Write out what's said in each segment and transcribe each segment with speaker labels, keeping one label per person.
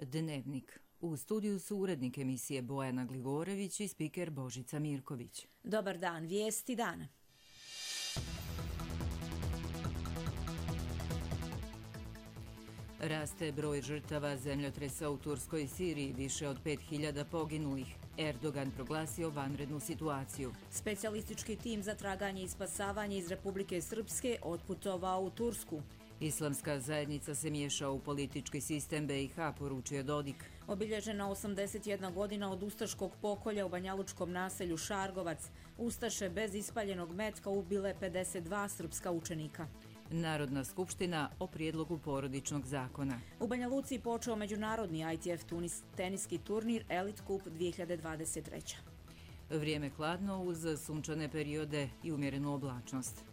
Speaker 1: Dnevnik. U studiju su urednik emisije Bojana Gligorević i spiker Božica Mirković.
Speaker 2: Dobar dan, vijesti dana.
Speaker 1: Raste broj žrtava zemljotresa u Turskoj i Siriji, više od 5000 poginulih. Erdogan proglasio vanrednu situaciju.
Speaker 2: Specijalistički tim za traganje i spasavanje iz Republike Srpske otputovao u Tursku.
Speaker 1: Islamska zajednica se miješa u politički sistem BiH, poručio Dodik.
Speaker 2: Obilježena 81 godina od ustaškog pokolja u banjalučkom naselju Šargovac. Ustaše bez ispaljenog metka ubile 52 srpska učenika.
Speaker 1: Narodna skupština o prijedlogu porodičnog zakona.
Speaker 2: U Banja Luci počeo međunarodni ITF teniski turnir Elite Cup 2023.
Speaker 1: Vrijeme hladno uz sunčane periode i umjerenu oblačnost.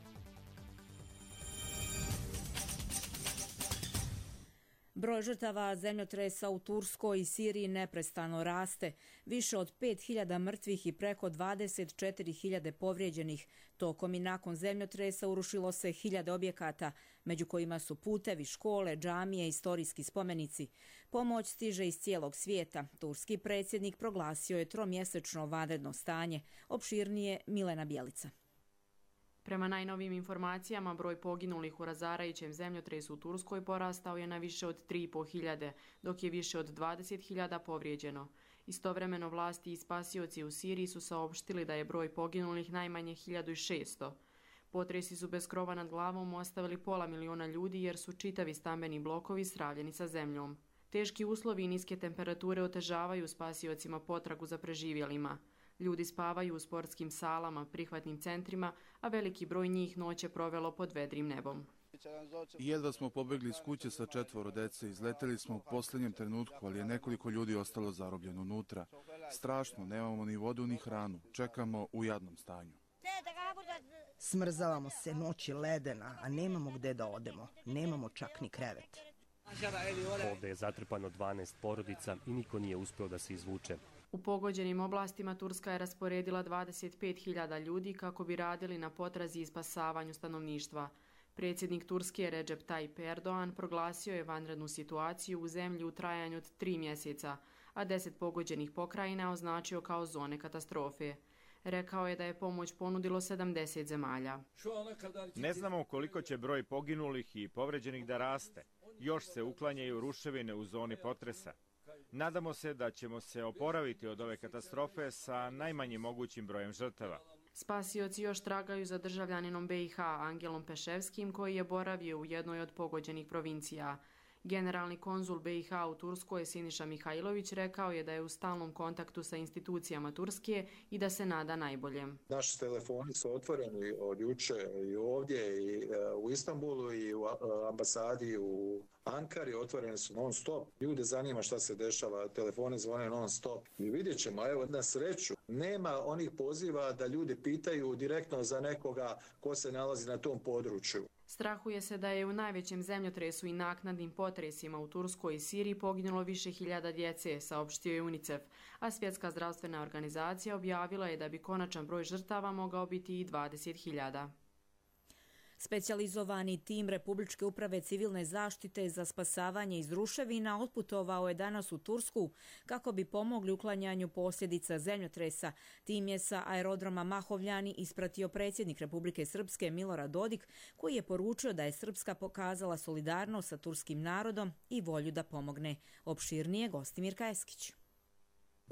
Speaker 2: Broj žrtava zemljotresa u Turskoj i Siriji neprestano raste. Više od 5000 mrtvih i preko 24.000 povrijeđenih. Tokom i nakon zemljotresa urušilo se 1000 objekata, među kojima su putevi, škole, džamije, istorijski spomenici. Pomoć stiže iz cijelog svijeta. Turski predsjednik proglasio je 3-mjesečno vanredno stanje. Opširnije Milena Bjelica.
Speaker 3: Prema najnovijim informacijama, broj poginulih u razarajućem zemljotresu u Turskoj porastao je na više od 3.500, dok je više od 20.000 povrijeđeno. Istovremeno vlasti i spasioci u Siriji su saopštili da je broj poginulih najmanje 1600. Potresi su bez krova nad glavom ostavili 500.000 ljudi jer su čitavi stambeni blokovi sravljeni sa zemljom. Teški uslovi i niske temperature otežavaju spasiocima potragu za preživjelima. Ljudi spavaju u sportskim salama, prihvatnim centrima, a veliki broj njih noć je provelo pod vedrim nebom.
Speaker 4: Jedva smo pobegli iz kuće sa 4 dece, izleteli smo u posljednjem trenutku, ali je nekoliko ljudi ostalo zarobljeno unutra. Strašno, nemamo ni vodu ni hranu, čekamo u jadnom stanju.
Speaker 5: Smrzavamo se, noć je ledena, a nemamo gde da odemo, nemamo čak ni krevet.
Speaker 6: Ovdje je zatrpano 12 porodica i niko nije uspio da se izvuče.
Speaker 3: U pogođenim oblastima Turska je rasporedila 25.000 ljudi kako bi radili na potrazi i spasavanju stanovništva. Predsjednik Turske Recep Tayyip Erdogan proglasio je vanrednu situaciju u zemlji u trajanju od 3 mjeseca, a 10 pogođenih pokrajina označio kao zone katastrofe. Rekao je da je pomoć ponudilo 70 zemalja.
Speaker 7: Ne znamo koliko će broj poginulih i povređenih da raste. Još se uklanjaju ruševine u zoni potresa. Nadamo se da ćemo se oporaviti od ove katastrofe sa najmanjim mogućim brojem žrtava.
Speaker 3: Spasioci još tragaju za državljaninom BiH Angelom Peševskim koji je boravio u jednoj od pogođenih provincija. Generalni konzul BiH u Turskoj Siniša Mihajlović rekao je da je u stalnom kontaktu sa institucijama Turske i da se nada najboljem.
Speaker 8: Naši telefoni su otvoreni od juče i ovdje i u Istanbulu i u ambasadi u Ankari, otvoreni su non stop. Ljude zanima šta se dešava, telefoni zvone non stop. I vidjet ćemo, evo na sreću, nema onih poziva da ljudi pitaju direktno za nekoga ko se nalazi na tom području.
Speaker 3: Strahuje se da je u najvećem zemljotresu i naknadnim potresima u Turskoj i Siriji poginulo više hiljada djece, saopštio je UNICEF, a Svjetska zdravstvena organizacija objavila je da bi konačan broj žrtava mogao biti i 20.000.
Speaker 2: Specijalizovani tim Republičke uprave civilne zaštite za spasavanje iz ruševina otputovao je danas u Tursku kako bi pomogli uklanjanju posljedica zemljotresa. Tim je sa aerodroma Mahovljani ispratio predsjednik Republike Srpske Milorad Dodik, koji je poručio da je Srpska pokazala solidarnost sa turskim narodom i volju da pomogne. Opširnije Gostimir Kajeskić.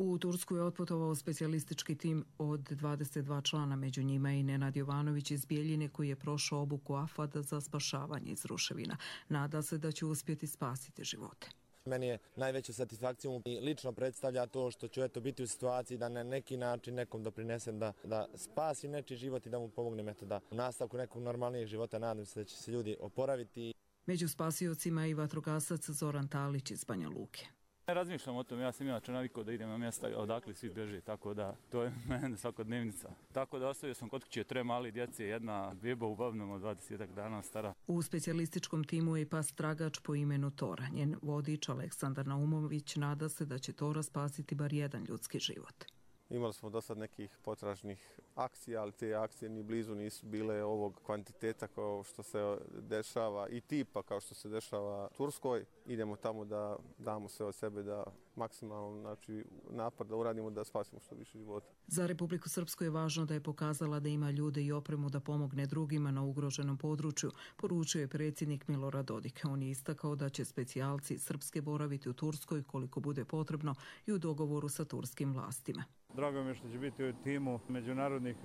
Speaker 9: U Tursku je otputovao specijalistički tim od 22 člana, među njima i Nenad Jovanović iz Bijeljine koji je prošao obuku AFAD za spašavanje iz ruševina. Nada se da će uspjeti spasiti živote.
Speaker 10: Meni je najveća satisfakcija i lično predstavlja to što ću biti u situaciji da na neki način nekom doprinesem da spasi nečiji život i da mu pomognem da u nastavku nekog normalnijeg života. Nadam se da će se ljudi oporaviti.
Speaker 9: Među spasiocima i vatrogasac Zoran Talić iz Banja Luke.
Speaker 11: Ne razmišljam o tom, ja sam inače navikao da idem na mjesta odakle svi beže, tako da to je mene svakodnevnica. Tako da ostavio sam kod kuće 3 mali djece, jedna beba uglavnom od 20 dana stara.
Speaker 9: U specijalističkom timu je i pas tragač po imenu Tora. Njen vodič Aleksandar Naumović nada se da će Tora spasiti bar jedan ljudski život.
Speaker 12: Imali smo do sad nekih potražnih akcija, ali te akcije ni blizu nisu bile ovog kvantiteta kao što se dešava i tipa kao što se dešava Turskoj. Idemo tamo da damo sve od sebe, da maksimalno napor da uradimo da spasimo što više života.
Speaker 9: Za Republiku Srpsku je važno da je pokazala da ima ljude i opremu da pomogne drugima na ugroženom području, poručio je predsjednik Milorad Dodik. On je istakao da će specijalci Srpske boraviti u Turskoj koliko bude potrebno i u dogovoru sa turskim vlastima.
Speaker 13: Drago mi je što će biti u timu međunarodnih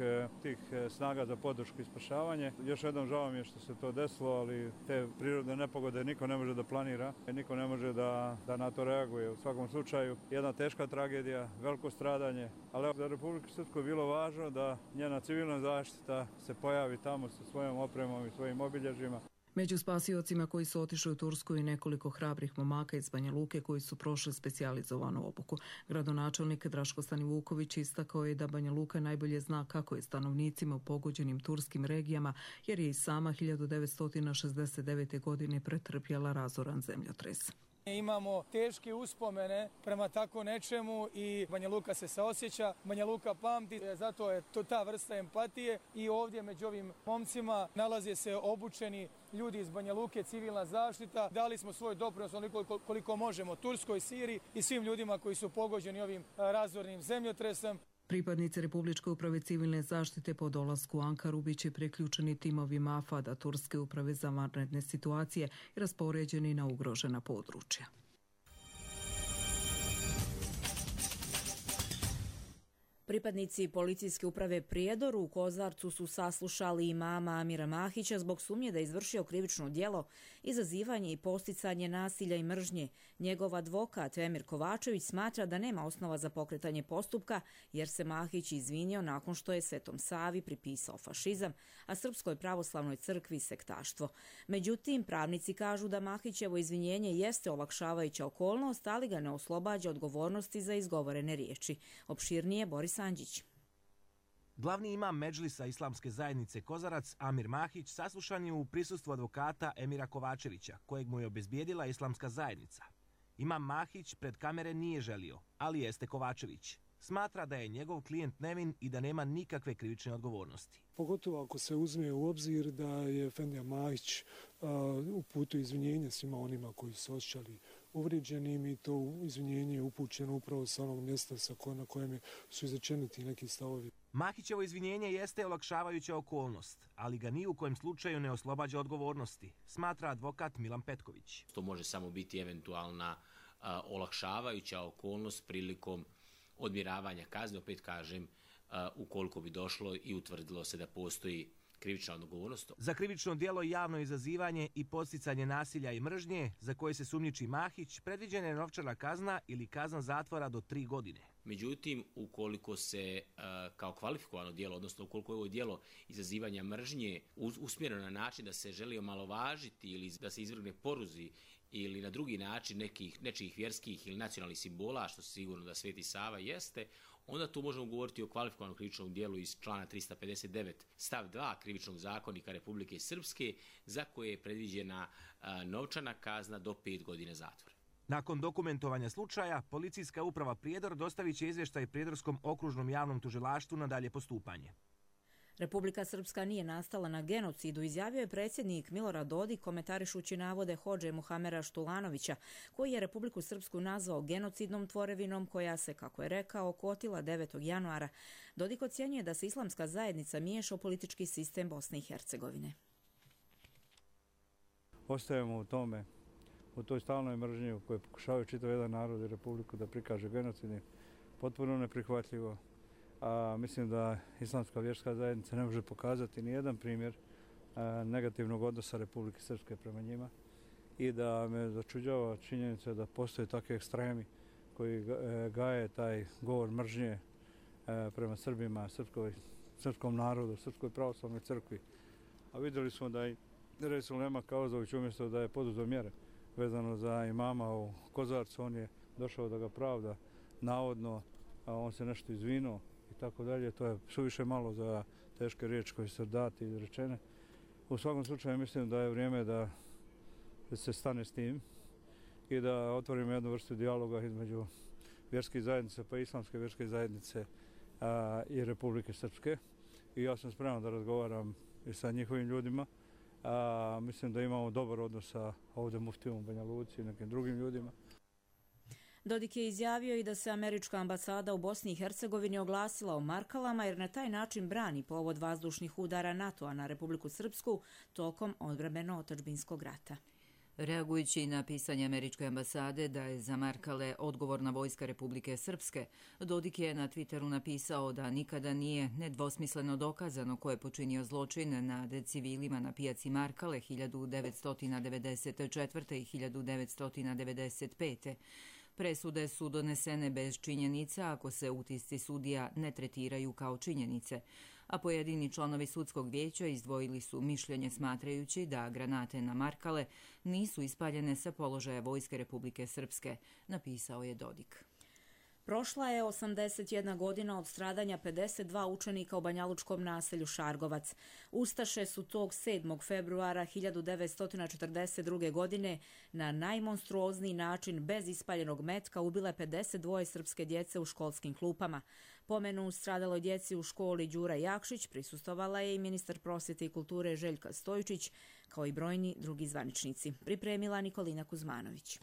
Speaker 13: tih snaga za podršku i spašavanje. Još jednom žao mi je što se to desilo, ali te prirodne nepogode niko ne može da planira, niko ne može da na to reaguje. U svakom slučaju jedna teška tragedija, veliko stradanje, ali za Republiku Srpsku je bilo važno da njena civilna zaštita se pojavi tamo sa svojom opremom i svojim obilježjima.
Speaker 9: Među spasiocima koji su otišli u Tursku i nekoliko hrabrih momaka iz Banja Luke koji su prošli specijalizovanu obuku. Gradonačelnik Draško Stanivuković istakao je da Banja Luka najbolje zna kako je stanovnicima u pogođenim turskim regijama, jer je i sama 1969. godine pretrpjela razoran zemljotres.
Speaker 14: Imamo teške uspomene prema tako nečemu i Banja Luka se saosjeća, Banja Luka pamti, zato je to ta vrsta empatije i ovdje među ovim momcima nalaze se obučeni ljudi iz Banja Luke, civilna zaštita. Dali smo svoj doprinos onoliko koliko možemo Turskoj, Siriji i svim ljudima koji su pogođeni ovim razornim zemljotresom.
Speaker 9: Pripadnici Republičke uprave civilne zaštite po dolasku u Ankaru biće priključeni timovima AFAD-a Turske uprave za vanredne situacije i raspoređeni na ugrožena područja.
Speaker 2: Pripadnici policijske uprave Prijedor u Kozarcu su saslušali imama Amira Mahića zbog sumnje da je izvršio krivično djelo, izazivanje i posticanje nasilja i mržnje. Njegov advokat Emir Kovačević smatra da nema osnova za pokretanje postupka jer se Mahić izvinio nakon što je Svetom Savi pripisao fašizam, a Srpskoj pravoslavnoj crkvi sektaštvo. Međutim, pravnici kažu da Mahićevo izvinjenje jeste olakšavajuća okolnost, ali ga ne oslobađa odgovornosti za izgovorene riječi. Opširnije Boris Anđić.
Speaker 15: Glavni imam Medžlisa Islamske zajednice Kozarac, Amir Mahić, saslušan je u prisustvu advokata Emira Kovačevića, kojeg mu je obezbijedila Islamska zajednica. Imam Mahić pred kamere nije želio, ali jeste Kovačević. Smatra da je njegov klijent nevin i da nema nikakve krivične odgovornosti.
Speaker 16: Pogotovo ako se uzme u obzir da je Efendija Mahić uputio izvinjenje svima onima koji su osjećali uvrijeđenim i to izvinjenje je upućeno upravo sa onog mjesta na kojem su izrečeni ti neki stavovi.
Speaker 15: Mahićevo izvinjenje jeste olakšavajuća okolnost, ali ga ni u kojem slučaju ne oslobađa odgovornosti, smatra advokat Milan Petković.
Speaker 17: To može samo biti eventualna olakšavajuća okolnost prilikom odmjeravanja kazne, opet kažem, ukoliko bi došlo i utvrdilo se da postoji krivična odgovornost.
Speaker 15: Za krivično djelo javno izazivanje i podsticanje nasilja i mržnje, za koje se sumnjiči Mahić, predviđena je novčana kazna ili kazna zatvora do 3 godine.
Speaker 17: Međutim, ukoliko se kao kvalifikovano djelo, odnosno ukoliko je ovo djelo izazivanja mržnje usmjereno na način da se želi omalovažiti ili da se izvrgne poruzi ili na drugi način nečijih vjerskih ili nacionalnih simbola, što sigurno da Sveti Sava jeste, onda tu možemo govoriti o kvalifikovanom krivičnom djelu iz člana 359 stav 2 Krivičnog zakonika Republike Srpske, za koje je predviđena novčana kazna do 5 godina zatvora.
Speaker 15: Nakon dokumentovanja slučaja, policijska uprava Prijedor dostavit će izvještaj Prijedorskom okružnom javnom tužilaštvu na dalje postupanje.
Speaker 2: Republika Srpska nije nastala na genocidu, izjavio je predsjednik Milorad Dodik komentarišući navode hodže Muhamera Štulanovića, koji je Republiku Srpsku nazvao genocidnom tvorevinom koja se, kako je rekao, kotila 9. januara. Dodik ocjenjuje da se Islamska zajednica miješa u politički sistem Bosne i Hercegovine.
Speaker 13: Ostajemo u tome, u toj stalnoj mržnji u kojoj pokušavaju čitav jedan narod i Republiku da prikaže genocidnim, potpuno neprihvatljivo. A mislim da Islamska vjerska zajednica ne može pokazati ni jedan primjer negativnog odnosa Republike Srpske prema njima i da me začuđava činjenica da postoje takvi ekstremi koji gaje taj govor mržnje prema Srbima, srpskom narodu, Srpskoj pravoslavnoj crkvi. A vidjeli smo da i Resul Nema Kauzović umjesto da je poduzeo mjere vezano za imama u Kozarcu, on je došao da ga pravda navodno, a on se nešto izvinuo i tako dalje. To je suviše malo za teške riječi koje su dati i izrečene. U svakom slučaju mislim da je vrijeme da se stane s tim i da otvorimo jednu vrstu dijaloga između vjerskih zajednica pa i islamske vjerske zajednice i Republike Srpske. I ja sam spreman da razgovaram i sa njihovim ljudima. Mislim da imamo dobar odnos sa ovdje muftijom u Banja Luci i nekim drugim ljudima.
Speaker 2: Dodik je izjavio i da se američka ambasada u Bosni i Hercegovini oglasila o markalama jer na taj način brani povod vazdušnih udara NATO-a na Republiku Srpsku tokom odbrambeno-otadžbinskog rata.
Speaker 1: Reagujući na pisanje američke ambasade da je za markale odgovorna vojska Republike Srpske, Dodik je na Twitteru napisao da nikada nije nedvosmisleno dokazano ko je počinio zločin nad civilima na pijaci Markale 1994. i 1995. Presude su donesene bez činjenica ako se utisci sudija ne tretiraju kao činjenice, a pojedini članovi sudskog vijeća izdvojili su mišljenje smatrajući da granate na Markale nisu ispaljene sa položaja vojske Republike Srpske, napisao je Dodik.
Speaker 2: Prošla je 81 godina od stradanja 52 učenika u banjalučkom naselju Šargovac. Ustaše su tog 7. februara 1942. godine na najmonstruozniji način bez ispaljenog metka ubile 52 srpske djece u školskim klupama. Pomenu stradaloj djeci u školi Đura Jakšić prisustvovala je i ministar prosvjete i kulture Željka Stojičić, kao i brojni drugi zvaničnici. Pripremila Nikolina Kuzmanović.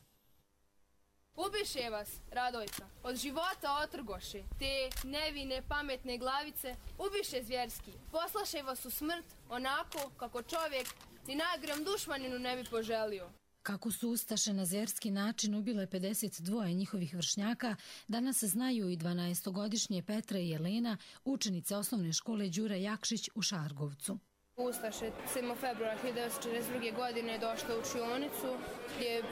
Speaker 18: Ubiše vas, Radojka, od života otrgoše, te nevine pametne glavice, ubiše zvjerski, poslaše vas u smrt onako kako čovjek ni najgrom dušmaninu ne bi poželio.
Speaker 19: Kako su ustaše na zvjerski način ubile 52 njihovih vršnjaka, danas znaju i 12-godišnje Petra i Jelena, učenice osnovne škole Đura Jakšić u Šargovcu.
Speaker 18: Ustaše 7. februara 1942. godine došla u učionicu gdje je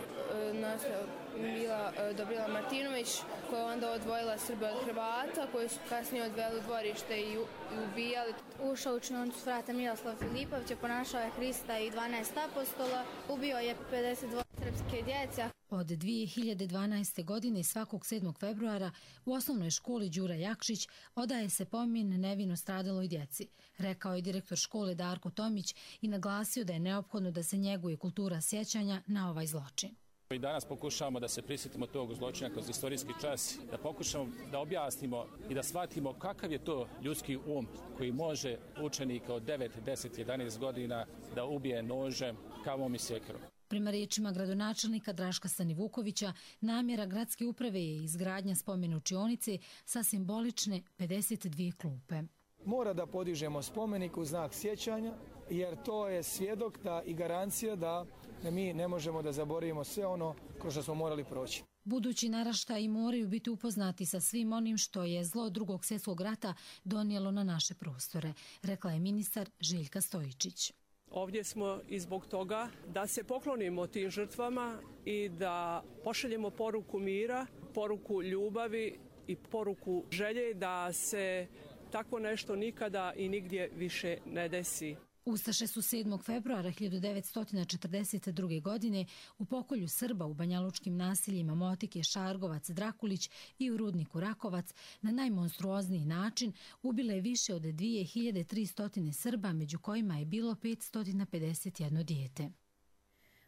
Speaker 18: bila Dobrila Martinović, koja je onda odvojila Srbe od Hrvata, koji su kasnije odveli u dvorište i ubijali.
Speaker 20: Ušao u učionicu frata Miroslav Filipović, ponašao je Hrista i 12 apostola, ubio je 52 srpske djece.
Speaker 19: Od 2012. godine svakog 7. februara u osnovnoj školi Đura Jakšić odaje se pomin nevino stradaloj djeci, rekao je direktor škole Darko Tomić i naglasio da je neophodno da se njeguje kultura sjećanja na ovaj zločin.
Speaker 21: I danas pokušavamo da se prisjetimo tog zločina kroz istorijski čas, da pokušamo da objasnimo i da shvatimo kakav je to ljudski um koji može učenika od 9, 10, 11 godina da ubije nožem, kavom i sjekirom.
Speaker 19: Prema riječima gradonačelnika Draška Stanivukovića, namjera gradske uprave je izgradnja spomen učionice sa simbolične 52 klupe.
Speaker 14: Mora da podižemo spomenik u znak sjećanja, jer to je svjedok i garancija da mi ne možemo da zaboravimo sve ono kroz što smo morali proći.
Speaker 19: Budući naraštaji moraju biti upoznati sa svim onim što je zlo Drugog svjetskog rata donijelo na naše prostore, rekla je ministar Željka Stojičić.
Speaker 22: Ovdje smo i zbog toga da se poklonimo tim žrtvama i da pošaljemo poruku mira, poruku ljubavi i poruku želje da se tako nešto nikada i nigdje više ne desi.
Speaker 19: Ustaše su 7. februara 1942. godine u pokolju Srba u banjalučkim naseljima Motike, Šargovac, Drakulić i u rudniku Rakovac na najmonstruozniji način ubile više od 2300 Srba, među kojima je bilo 551 dijete.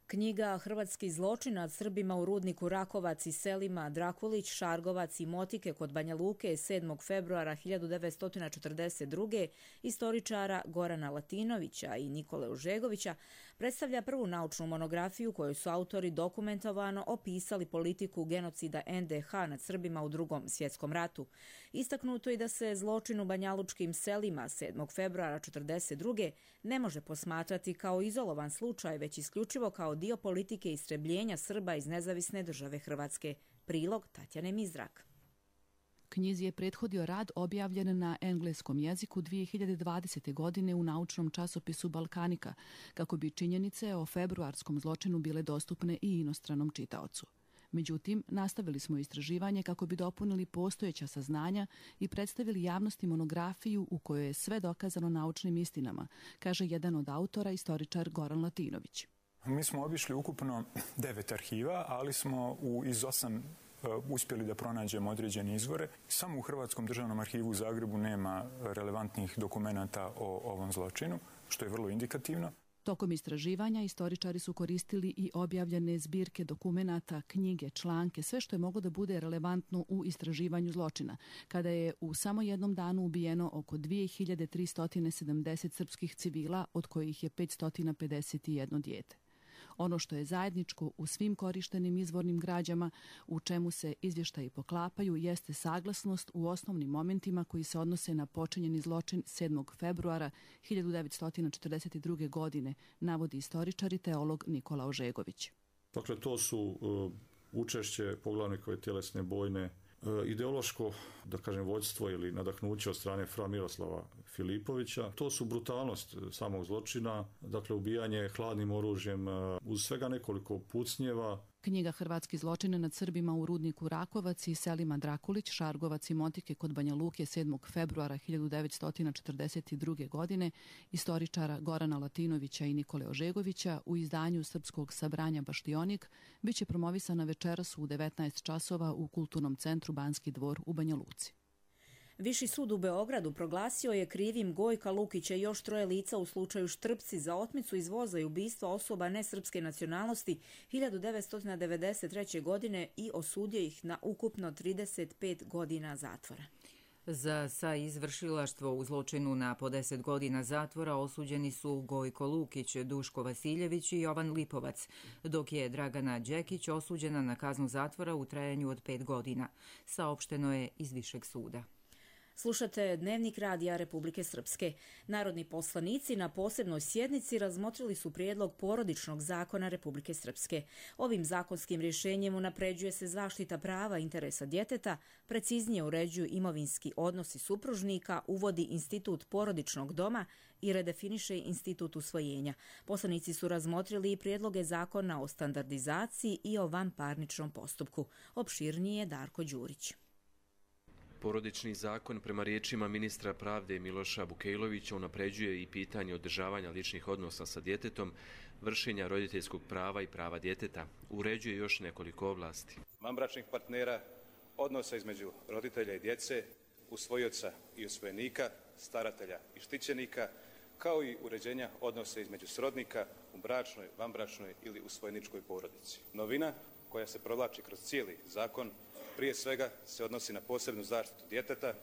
Speaker 2: Knjiga Hrvatski zločin nad Srbima u rudniku Rakovac i selima Drakulić, Šargovac i Motike kod Banja Luke 7. februara 1942. istoričara Gorana Latinovića i Nikole Užegovića predstavlja prvu naučnu monografiju koju su autori dokumentovano opisali politiku genocida NDH nad Srbima u Drugom svjetskom ratu. Istaknuto je da se zločin u banjalučkim selima 7. februara 1942. ne može posmatrati kao izolovan slučaj, već isključivo kao dio politike istrebljenja Srba iz nezavisne države Hrvatske. Prilog Tatjane Mizrak.
Speaker 23: Knjizi je prethodio rad objavljen na engleskom jeziku 2020. godine u naučnom časopisu Balkanika, kako bi činjenice o februarskom zločinu bile dostupne i inostranom čitaocu. Međutim, nastavili smo istraživanje kako bi dopunili postojeća saznanja i predstavili javnosti monografiju u kojoj je sve dokazano naučnim istinama, kaže jedan od autora, istoričar Goran Latinović.
Speaker 24: Mi smo obišli ukupno 9 arhiva, ali smo iz 8 uspjeli da pronađemo određene izvore. Samo u Hrvatskom državnom arhivu u Zagrebu nema relevantnih dokumenata o ovom zločinu, što je vrlo indikativno.
Speaker 23: Tokom istraživanja istoričari su koristili i objavljene zbirke dokumenata, knjige, članke, sve što je moglo da bude relevantno u istraživanju zločina, kada je u samo jednom danu ubijeno oko 2370 srpskih civila, od kojih je 551 dijete. Ono što je zajedničko u svim korištenim izvornim građama, u čemu se izvještaji poklapaju, jeste saglasnost u osnovnim momentima koji se odnose na počinjeni zločin 7. februara 1942. godine, navodi istoričar i teolog Nikola Ožegović.
Speaker 4: Dakle, to su učešće poglavnikove tjelesne bojne, ideološko, da kažem, vođstvo ili nadahnuće od strane fra Miroslava Filipovića. To su brutalnost samog zločina, dakle ubijanje hladnim oružjem uz svega nekoliko pucnjeva.
Speaker 23: Knjiga Hrvatski zločin nad Srbima u rudniku Rakovac i selima Drakulić, Šargovac i Motike kod Banja Luke 7. februara 1942. godine istoričara Gorana Latinovića i Nikole Ožegovića u izdanju Srpskog sabranja Baštionik biće promovisana večeras u 19 časova u Kulturnom centru Banski dvor u Banja Luci.
Speaker 2: Viši sud u Beogradu proglasio je krivim Gojka Lukića i još 3 lica u slučaju Štrpci za otmicu iz voza i ubistva osoba nesrpske nacionalnosti 1993. godine i osudio ih na ukupno 35 godina zatvora.
Speaker 1: Za saizvršilaštvo u zločinu na po 10 godina zatvora osuđeni su Gojko Lukić, Duško Vasiljević i Jovan Lipovac, dok je Dragana Đekić osuđena na kaznu zatvora u trajanju od 5 godina, saopšteno je iz Višeg suda.
Speaker 2: Slušate Dnevnik Radija Republike Srpske. Narodni poslanici na posebnoj sjednici razmotrili su prijedlog porodičnog zakona Republike Srpske. Ovim zakonskim rješenjem unapređuje se zaštita prava interesa djeteta, preciznije uređuju imovinski odnosi supružnika, uvodi institut porodičnog doma i redefiniše institut usvojenja. Poslanici su razmotrili i prijedloge zakona o standardizaciji i o vanparničnom postupku. Opširnije Darko Đurić.
Speaker 5: Porodični zakon prema riječima ministra pravde Miloša Bukejlovića unapređuje i pitanje održavanja ličnih odnosa sa djetetom, vršenja roditeljskog prava i prava djeteta. Uređuje još nekoliko oblasti.
Speaker 6: Vanbračnih partnera, odnosa između roditelja i djece, usvojioca i usvojenika, staratelja i štićenika, kao i uređenja odnosa između srodnika u bračnoj, vanbračnoj ili usvojeničkoj porodici. Novina koja se provlači kroz cijeli zakon prije svega se odnosi na posebnu zaštitu djeteta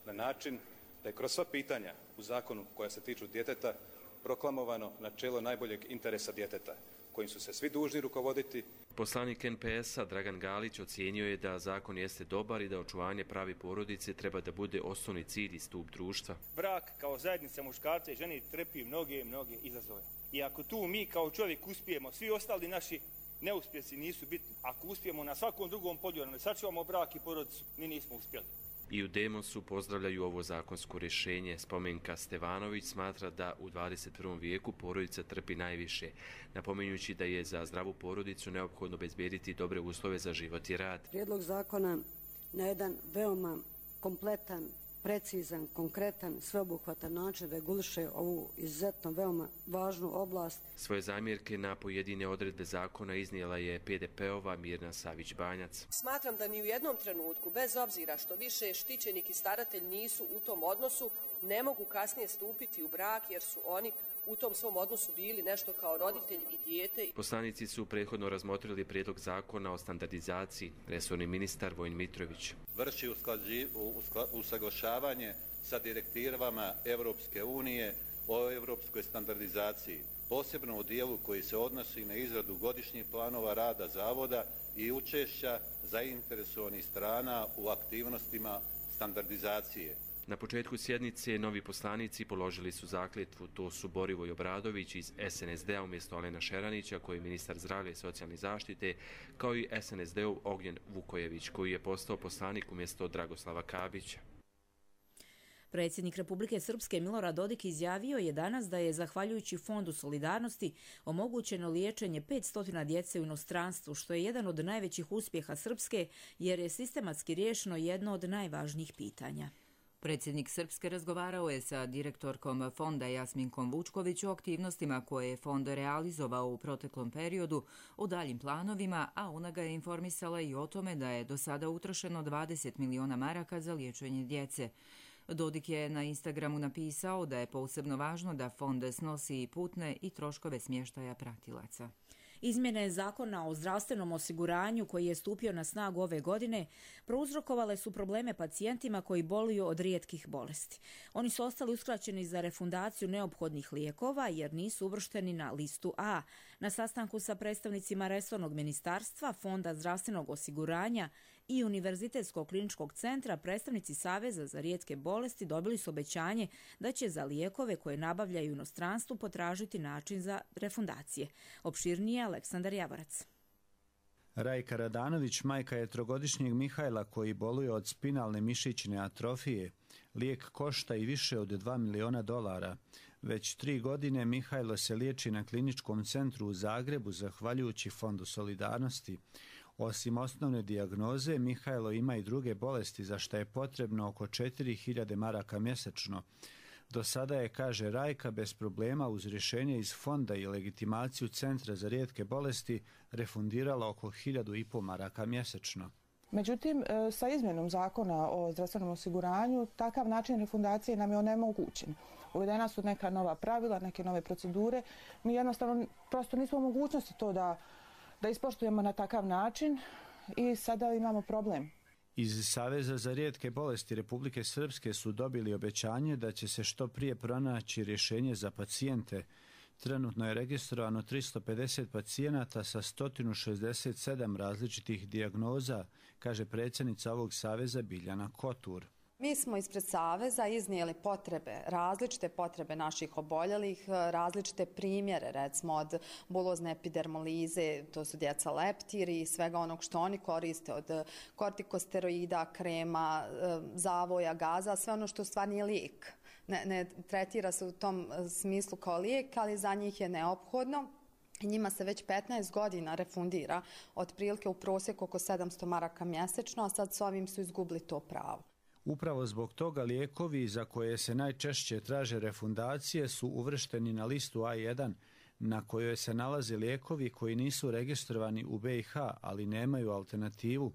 Speaker 6: na način da je kroz sva pitanja u zakonu koja se tiču djeteta proklamovano načelo najboljeg interesa djeteta, kojim su se svi dužni rukovoditi.
Speaker 5: Poslanik NPS-a Dragan Galić ocijenio je da zakon jeste dobar i da očuvanje pravi porodice treba da bude osnovni cilj i stup društva.
Speaker 7: Brak kao zajednica muškarca i žene trpi mnoge izazove. I ako tu mi kao čovjek uspijemo, svi ostali naši neuspjesi nisu bitni. Ako uspijemo na svakom drugom polju, ne sačuvamo brak i porodicu, mi nismo uspjeli.
Speaker 5: I u Demosu pozdravljaju ovo zakonsko rješenje. Spomenka Stevanović smatra da u 21. vijeku porodica trpi najviše, napominjući da je za zdravu porodicu neophodno obezbediti dobre uslove za život i rad.
Speaker 25: Prijedlog zakona na jedan veoma kompletan, precizan, konkretan, sveobuhvatan način reguliše ovu izuzetno veoma važnu oblast.
Speaker 5: Svoje zamjerke na pojedine odredbe zakona iznijela je PDP-ova Mirna Savić-Banjac.
Speaker 26: Smatram da ni u jednom trenutku, bez obzira što više štićenik i staratelj nisu u tom odnosu, ne mogu kasnije stupiti u brak jer su oni u tom svom odnosu bili nešto kao roditelj i dijete.
Speaker 5: Poslanici su prethodno razmotrili prijedlog zakona o standardizaciji. Resorni ministar Vojin Mitrović
Speaker 27: vrši usaglašavanje sa direktivama Europske unije o europskoj standardizaciji, posebno u dijelu koji se odnosi na izradu godišnjih planova rada zavoda i učešća zainteresovanih strana u aktivnostima standardizacije.
Speaker 5: Na početku sjednice novi poslanici položili su zakletvu. To su Borivoj Obradović iz SNSD-a umjesto Alena Šeranića, koji je ministar zdravlja i socijalne zaštite, kao i SNSD-ov Ognjen Vukojević, koji je postao poslanik umjesto Dragoslava Kabića.
Speaker 2: Predsjednik Republike Srpske Milorad Dodik izjavio je danas da je, zahvaljujući Fondu solidarnosti, omogućeno liječenje 500 djece u inostranstvu, što je jedan od najvećih uspjeha Srpske, jer je sistematski riješeno jedno od najvažnijih pitanja.
Speaker 1: Predsjednik Srpske razgovarao je sa direktorkom fonda Jasminkom Vučković o aktivnostima koje je fond realizovao u proteklom periodu, o daljim planovima, a ona ga je informisala i o tome da je do sada utrošeno 20 miliona maraka za liječenje djece. Dodik je na Instagramu napisao da je posebno važno da fond snosi i putne i troškove smještaja pratilaca.
Speaker 2: Izmjene zakona o zdravstvenom osiguranju koji je stupio na snagu ove godine prouzrokovale su probleme pacijentima koji boluju od rijetkih bolesti. Oni su ostali uskraćeni za refundaciju neophodnih lijekova jer nisu uvršteni na listu A. Na sastanku sa predstavnicima resornog ministarstva, Fonda zdravstvenog osiguranja i Univerzitetskog kliničkog centra predstavnici Saveza za rijetke bolesti dobili su obećanje da će za lijekove koje nabavljaju u inostranstvu potražiti način za refundacije. Opširnije Aleksandar Javorac.
Speaker 3: Rajka Radanović majka je trogodišnjeg Mihajla koji boluje od spinalne mišićne atrofije. Lijek košta i više od $2 miliona. Već 3 godine Mihajlo se liječi na kliničkom centru u Zagrebu zahvaljujući Fondu solidarnosti. Osim osnovne dijagnoze, Mihajlo ima i druge bolesti za što je potrebno oko 4.000 maraka mjesečno. Do sada je, kaže Rajka, bez problema uz rješenje iz fonda i legitimaciju Centra za rijetke bolesti refundirala oko 1.500 maraka mjesečno.
Speaker 8: Međutim, sa izmjenom zakona o zdravstvenom osiguranju, takav način refundacije nam je onemogućen. Uvedena su neka nova pravila, neke nove procedure. Mi jednostavno prosto nismo u mogućnosti to da ispoštujemo na takav način i sada imamo problem.
Speaker 3: Iz Saveza za rijetke bolesti Republike Srpske su dobili obećanje da će se što prije pronaći rješenje za pacijente. Trenutno je registrovano 350 pacijenata sa 167 različitih dijagnoza, kaže predsjednica ovog saveza Biljana Kotur.
Speaker 9: Mi smo ispred Saveza iznijeli različite potrebe naših oboljelih, različite primjere, recimo od bulozne epidermolize, to su djeca leptiri i svega onog što oni koriste, od kortikosteroida, krema, zavoja, gaza, sve ono što u stvari nije lijek. Ne tretira se u tom smislu kao lijek, ali za njih je neophodno. Njima se već 15 godina refundira, otprilike u prosjeku oko 700 maraka mjesečno, a sad s ovim su izgubili to pravo.
Speaker 3: Upravo zbog toga lijekovi za koje se najčešće traže refundacije su uvršteni na listu A1, na kojoj se nalaze lijekovi koji nisu registrovani u BiH, ali nemaju alternativu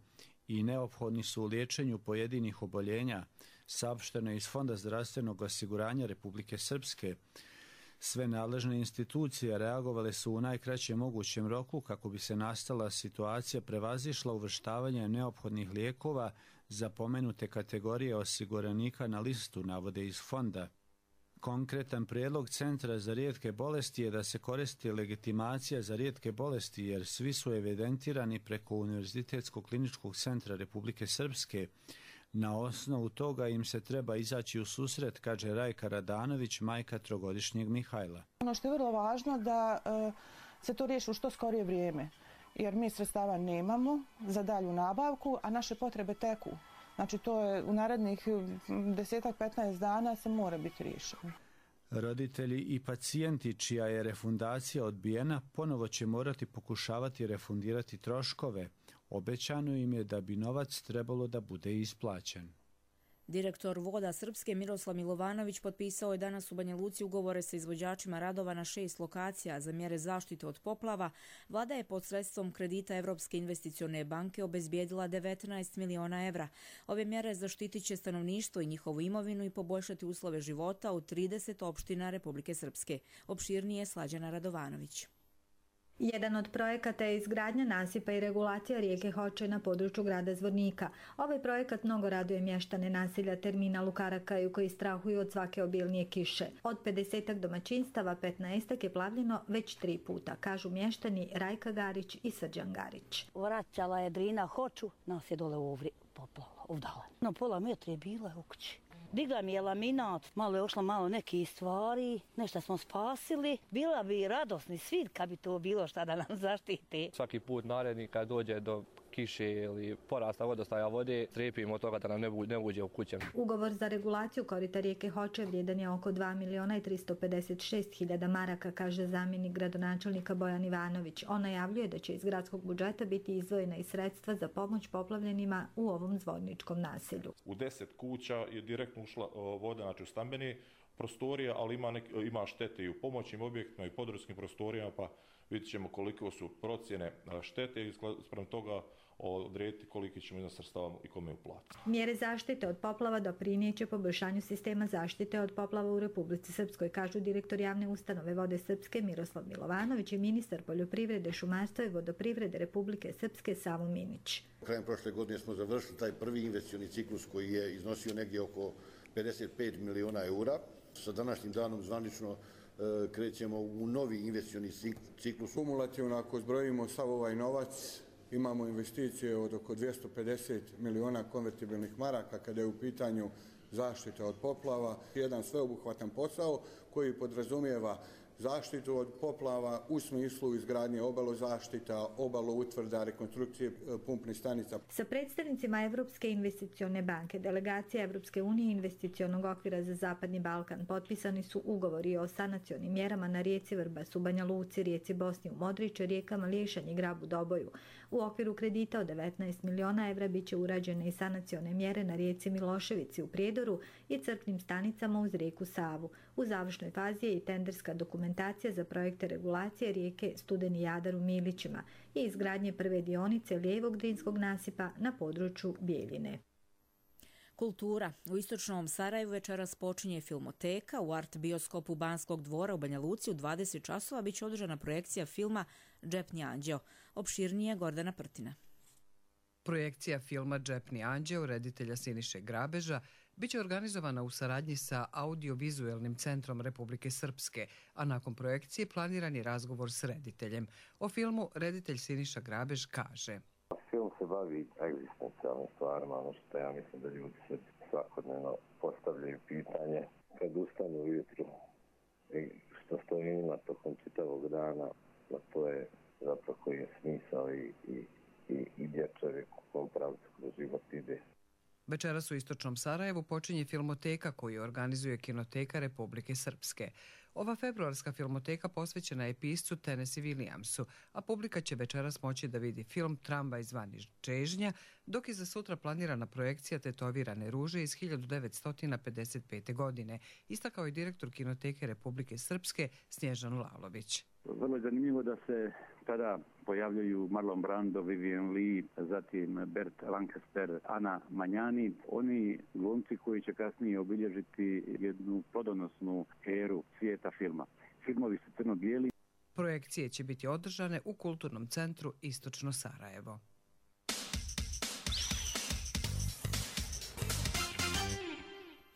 Speaker 3: i neophodni su u liječenju pojedinih oboljenja, saopšteno je iz Fonda zdravstvenog osiguranja Republike Srpske. Sve nadležne institucije reagovale su u najkraćem mogućem roku kako bi se nastala situacija prevazišla uvrštavanje neophodnih lijekova za pomenute kategorije osiguranika na listu, navode iz fonda. Konkretan prijedlog Centra za rijetke bolesti je da se koristi legitimacija za rijetke bolesti jer svi su evidentirani preko Univerzitetskog kliničkog centra Republike Srpske. Na osnovu toga im se treba izaći u susret, kaže Rajka Radanović, majka trogodišnjeg Mihajla.
Speaker 8: Ono što je vrlo važno da se to riješi u što skorije vrijeme, jer mi sredstava nemamo za dalju nabavku, a naše potrebe teku. Znači to je u narednih 10-15 dana se mora biti riješeno.
Speaker 3: Roditelji i pacijenti čija je refundacija odbijena ponovo će morati pokušavati refundirati troškove. Obećano im je da bi novac trebalo da bude isplaćen.
Speaker 2: Direktor Voda Srpske Miroslav Milovanović potpisao je danas u Banja Luci ugovore sa izvođačima radova na 6 lokacija za mjere zaštite od poplava. Vlada je pod sredstvom kredita Evropske investicione banke obezbijedila 19 miliona evra. Ove mjere zaštitit će stanovništvo i njihovu imovinu i poboljšati uslove života u 30 opština Republike Srpske. Opširnije Slađana Radovanović.
Speaker 10: Jedan od projekata je izgradnja nasipa i regulacija rijeke Hoče na području grada Zvornika. Ovaj projekat mnogo raduje mještane naselja terminal u Karakaju koji strahuju od svake obilnije kiše. Od 50 domaćinstava 15 je plavljeno već 3 puta, kažu mještani Rajka Garić i Srđan Garić.
Speaker 11: Vraćala je Drina Hoču, nas je dole poplala, ovdala. Na pola metra je bila u kući. Digla mi je laminat, malo je ošla malo neke stvari, nešto smo spasili. Bila bi radosni svi kad bi to bilo šta da nam zaštiti.
Speaker 12: Svaki put naredni kad dođe do kiše ili porasta vodostaja vode, strepimo od toga da nam ne uđe u kuće.
Speaker 10: Ugovor za regulaciju korita rijeke Hoče vrijedan je oko 2 miliona i 356 hiljada maraka, kaže zamjenik gradonačelnika Bojan Ivanović. On najavljuje da će iz gradskog budžeta biti izdvojena i sredstva za pomoć poplavljenima u ovom zvorničkom naselju.
Speaker 16: U 10 kuća je direktno ušla voda, znači u stambeni prostorija, ali ima štete i u pomoćnim objektima i područnim prostorijama, pa vidjet ćemo koliko su procjene štete i sprem toga odrediti koliki ćemo iznos sredstava i kome uplatiti.
Speaker 10: Mjere zaštite od poplava doprinijeće poboljšanju sistema zaštite od poplava u Republici Srpskoj, kažu direktor javne ustanove Vode Srpske Miroslav Milovanović i ministar poljoprivrede, šumarstva i vodoprivrede Republike Srpske Savo Minić.
Speaker 13: Krajem prošle godine smo završili taj prvi investicioni ciklus koji je iznosio negdje oko 55 miliona eura. Sa današnjim danom zvanično krećemo u novi investicioni ciklus.
Speaker 14: Kumulativno, ako zbrojimo sav ovaj novac, imamo investicije od oko 250 miliona konvertibilnih maraka kada je u pitanju zaštita od poplava. Jedan sveobuhvatan posao koji podrazumijeva zaštitu od poplava u smislu izgradnje obalozaštita, obaloutvrda, rekonstrukcije pumpnih stanica.
Speaker 10: Sa predstavnicima Evropske investicione banke, delegacija Evropske unije i investicionog okvira za Zapadni Balkan potpisani su ugovori o sanacionim mjerama na rijeci Vrbas u Banja Luci, rijeci Bosni u Modriče, rijekama Liješanj i Grabu Doboju. U okviru kredita od 19 miliona evra biće urađene i sanacione mjere na rijeci Miloševici u Prijedoru i crpnim stanicama uz rijeku Savu. U završnoj fazi je i tenderska dokumentacija za projekte regulacije rijeke Studeni Jadar u Milićima i izgradnje prve dionice lijevog drinskog nasipa na području Bijeljine.
Speaker 2: Kultura. U istočnom Sarajevu večeras počinje filmoteka. U art bioskopu Banskog dvora u Banja Luci u 20 časova biće održana projekcija filma Džepni anđeo. Opširnije Gordana Prtina.
Speaker 15: Projekcija filma Džepni anđeo reditelja Siniše Grabeža biće organizovana u saradnji sa Audiovizuelnim centrom Republike Srpske, a nakon projekcije planiran je razgovor s rediteljem. O filmu reditelj Siniša Grabež kaže:
Speaker 17: Film se bavi egzistencijalnim stvarima, ono što ja mislim da ljudi se svakodnevno postavljaju pitanje kad ustanu ujutru i što stoji njima tokom čitavog dana, a to je zapravo koji je smisao i gdje čovjek u kom pravcu kroz život ide.
Speaker 15: Večeras u istočnom Sarajevu počinje filmoteka koju organizuje Kinoteka Republike Srpske. Ova februarska filmoteka posvećena je piscu Tennessee Williamsu, a publika će večeras moći da vidi film Tramvaj zvani Čežnja, dok je za sutra planirana projekcija Tetovirane ruže iz 1955. godine, istakao je direktor Kinoteke Republike Srpske Snježan Lalović.
Speaker 18: Vrlo je zanimljivo da se tada pojavljaju Marlon Brando, Vivian Lee, zatim Bert Lancaster, Ana Manjani. Oni glumci koji će kasnije obilježiti jednu plodonosnu eru svijeta filma. Filmovi su crno-bijeli.
Speaker 15: Projekcije će biti održane u Kulturnom centru Istočno Sarajevo.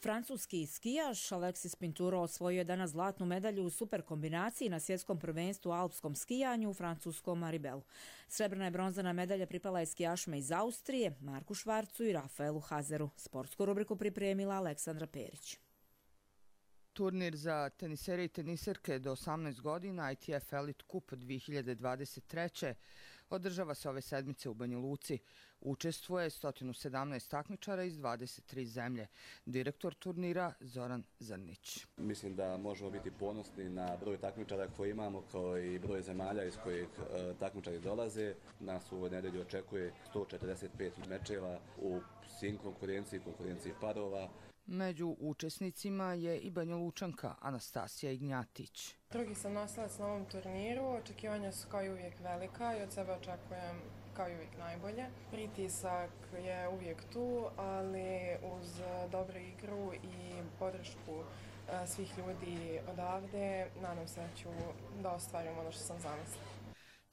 Speaker 2: Francuski skijaš Alexis Pinturo osvojio je danas zlatnu medalju u super kombinaciji na svjetskom prvenstvu u alpskom skijanju u francuskom Maribelu. Srebrna i bronzana medalja pripala je skijašima iz Austrije, Marku Švarcu i Rafaelu Hazeru. Sportsku rubriku pripremila Aleksandra Perić.
Speaker 20: Turnir za tenisere i teniserke do 18 godina ITF Elite Cup 2023. održava se ove sedmice u Banja Luci. Učestvuje 117 takmičara iz 23 zemlje. Direktor turnira Zoran Zrnić.
Speaker 21: Mislim da možemo biti ponosni na broj takmičara koje imamo, kao i broj zemalja iz kojih takmičari dolaze. Nas u ovoj nedelji očekuje 145 mečeva u svim konkurenciji parova.
Speaker 20: Među učesnicima je i Banja Lučanka Anastasija Ignjatić.
Speaker 28: Drugi sam nosilac na ovom turniru, očekivanja su kao i uvijek velika i od sebe očekujem kao i uvijek najbolje. Pritisak je uvijek tu, ali uz dobru igru i podršku svih ljudi odavde, nadam se da ostvarim ono što sam zamislila.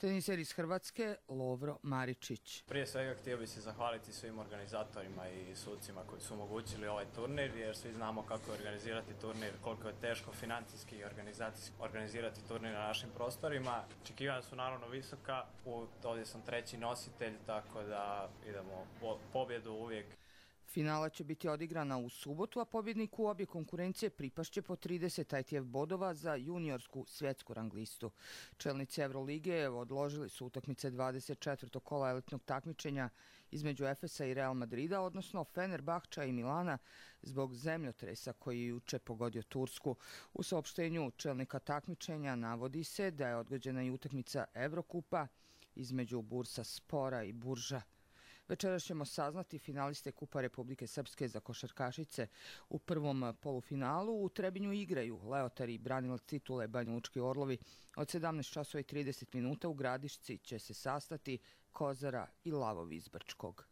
Speaker 20: Teniser iz Hrvatske Lovro Maričić.
Speaker 29: Prije svega htio bih se zahvaliti svim organizatorima i sucima koji su omogućili ovaj turnir, jer svi znamo kako je organizirati turnir, koliko je teško financijski i organizirati turnir na našim prostorima. Očekivanja su naravno visoka, ovdje sam treći nositelj, tako da idemo pobjedu uvijek.
Speaker 20: Finala će biti odigrana u subotu, a pobjedniku obje konkurencije pripašće po 30 ITF bodova za juniorsku svjetsku rang listu. Čelnici Evrolige odložili su utakmice 24. kola elitnog takmičenja između Efesa i Real Madrida, odnosno Fenerbahča i Milana, zbog zemljotresa koji je juče pogodio Tursku. U saopštenju čelnika takmičenja navodi se da je odgođena i utakmica Evrokupa između Bursa Spora i Burža. Večeras ćemo saznati finaliste Kupa Republike Srpske za košarkašice. U prvom polufinalu u Trebinju igraju Leotari i branilac titule Banjalučki Orlovi. Od 17:30 u Gradišci će se sastati Kozara i Lavovi iz Brčkog.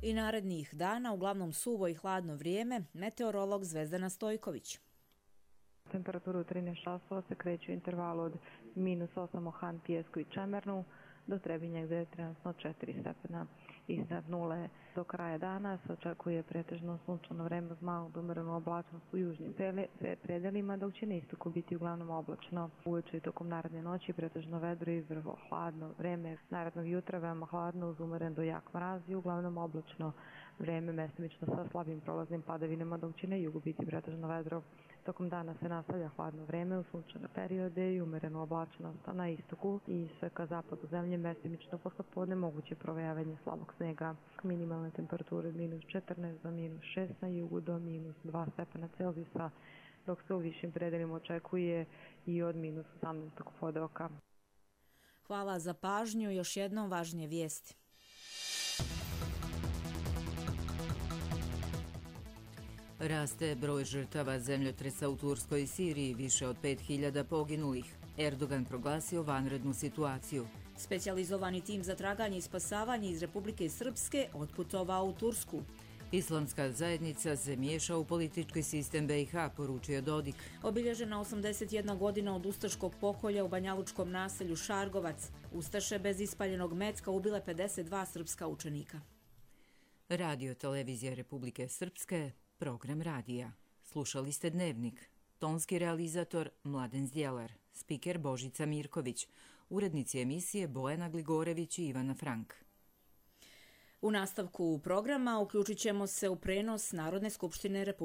Speaker 2: I narednih dana uglavnom suvo i hladno vrijeme, meteorolog Zvezdana Stojković.
Speaker 4: Temperaturu u 13 časova se kreću u intervalu od -8 u Han, Pijesku i Čemernu do Trebinja gdje je trenutno 4 stepena iznad nule. Do kraja dana se očekuje pretežno sunčano vreme uz malu do umjerenu oblačnost u južnim predelima, dok će na istoku biti uglavnom oblačno. Uveče i tokom naredne noći pretežno vedro i vrlo hladno vreme. Narednog jutra veoma hladno uz umjeren do jak mraz i uglavnom oblačno vreme mestimično sa slabim prolaznim padavinama, dok će na jugu biti pretežno vedro. Tokom dana se nastavlja hladno vreme u sunčane periode i umjerenu oblačenost, a na istoku i sve ka zapadu zemlje mestimično poslepodne moguće provejavanje slabog snega. Minimalne temperature od -14 do -6 na jugu do -2 stepena Celzijusa, dok se u višim predelima očekuje i od -18 pod oka.
Speaker 2: Hvala za pažnju. Još jednom važnije vijesti.
Speaker 1: Raste broj žrtava zemljotresa u Turskoj i Siriji, više od 5000 poginulih. Erdogan proglasio vanrednu situaciju.
Speaker 2: Specijalizovani tim za traganje i spasavanje iz Republike Srpske otputovao u Tursku.
Speaker 1: Islamska zajednica se miješa u politički sistem BiH, poručio Dodik.
Speaker 2: Obilježena 81 godina od ustaškog pokolja u banjalučkom naselju Šargovac. Ustaše bez ispaljenog mecka ubile 52 srpska učenika.
Speaker 1: Radio televizija Republike Srpske, program radija. Slušali ste Dnevnik. Tonski realizator Mladen Zdjelar, spiker Božica Mirković, urednici emisije Bojana Gligorević i Ivana Frank.
Speaker 2: U nastavku programa uključit ćemo se u prenos Narodne skupštine Republike